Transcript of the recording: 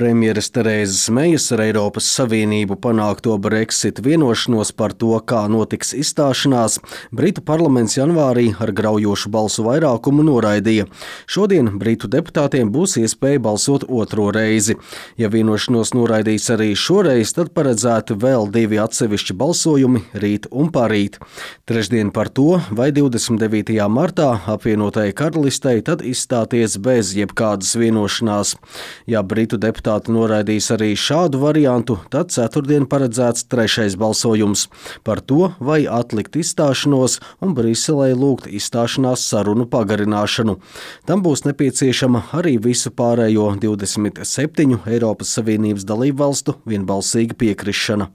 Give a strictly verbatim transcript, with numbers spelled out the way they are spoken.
Premjeres Terēzes Mejas ar Eiropas Savienību panākto Brexit vienošanos par to, kā notiks izstāšanās, Britu parlaments janvārī ar graujošu balsu vairākumu noraidīja. Šodien Britu deputātiem būs iespēja balsot otro reizi. Ja vienošanos noraidīs arī šoreiz, tad paredzēti vēl divi atsevišķi balsojumi rīt un parīt. Trešdien par to, vai divdesmit devītajā martā apvienotajai karalistei tad izstāties bez jebkādas vienošanās. Ja Britu deputāti Deputāti noraidīs arī šādu variantu, tad ceturtdien paredzēts trešais balsojums par to, vai atlikt izstāšanos un Briselei lūgt izstāšanās sarunu pagarināšanu. Tam būs nepieciešama arī visu pārējo divdesmit septiņu Eiropas Savienības dalībvalstu vienbalsīga piekrišana.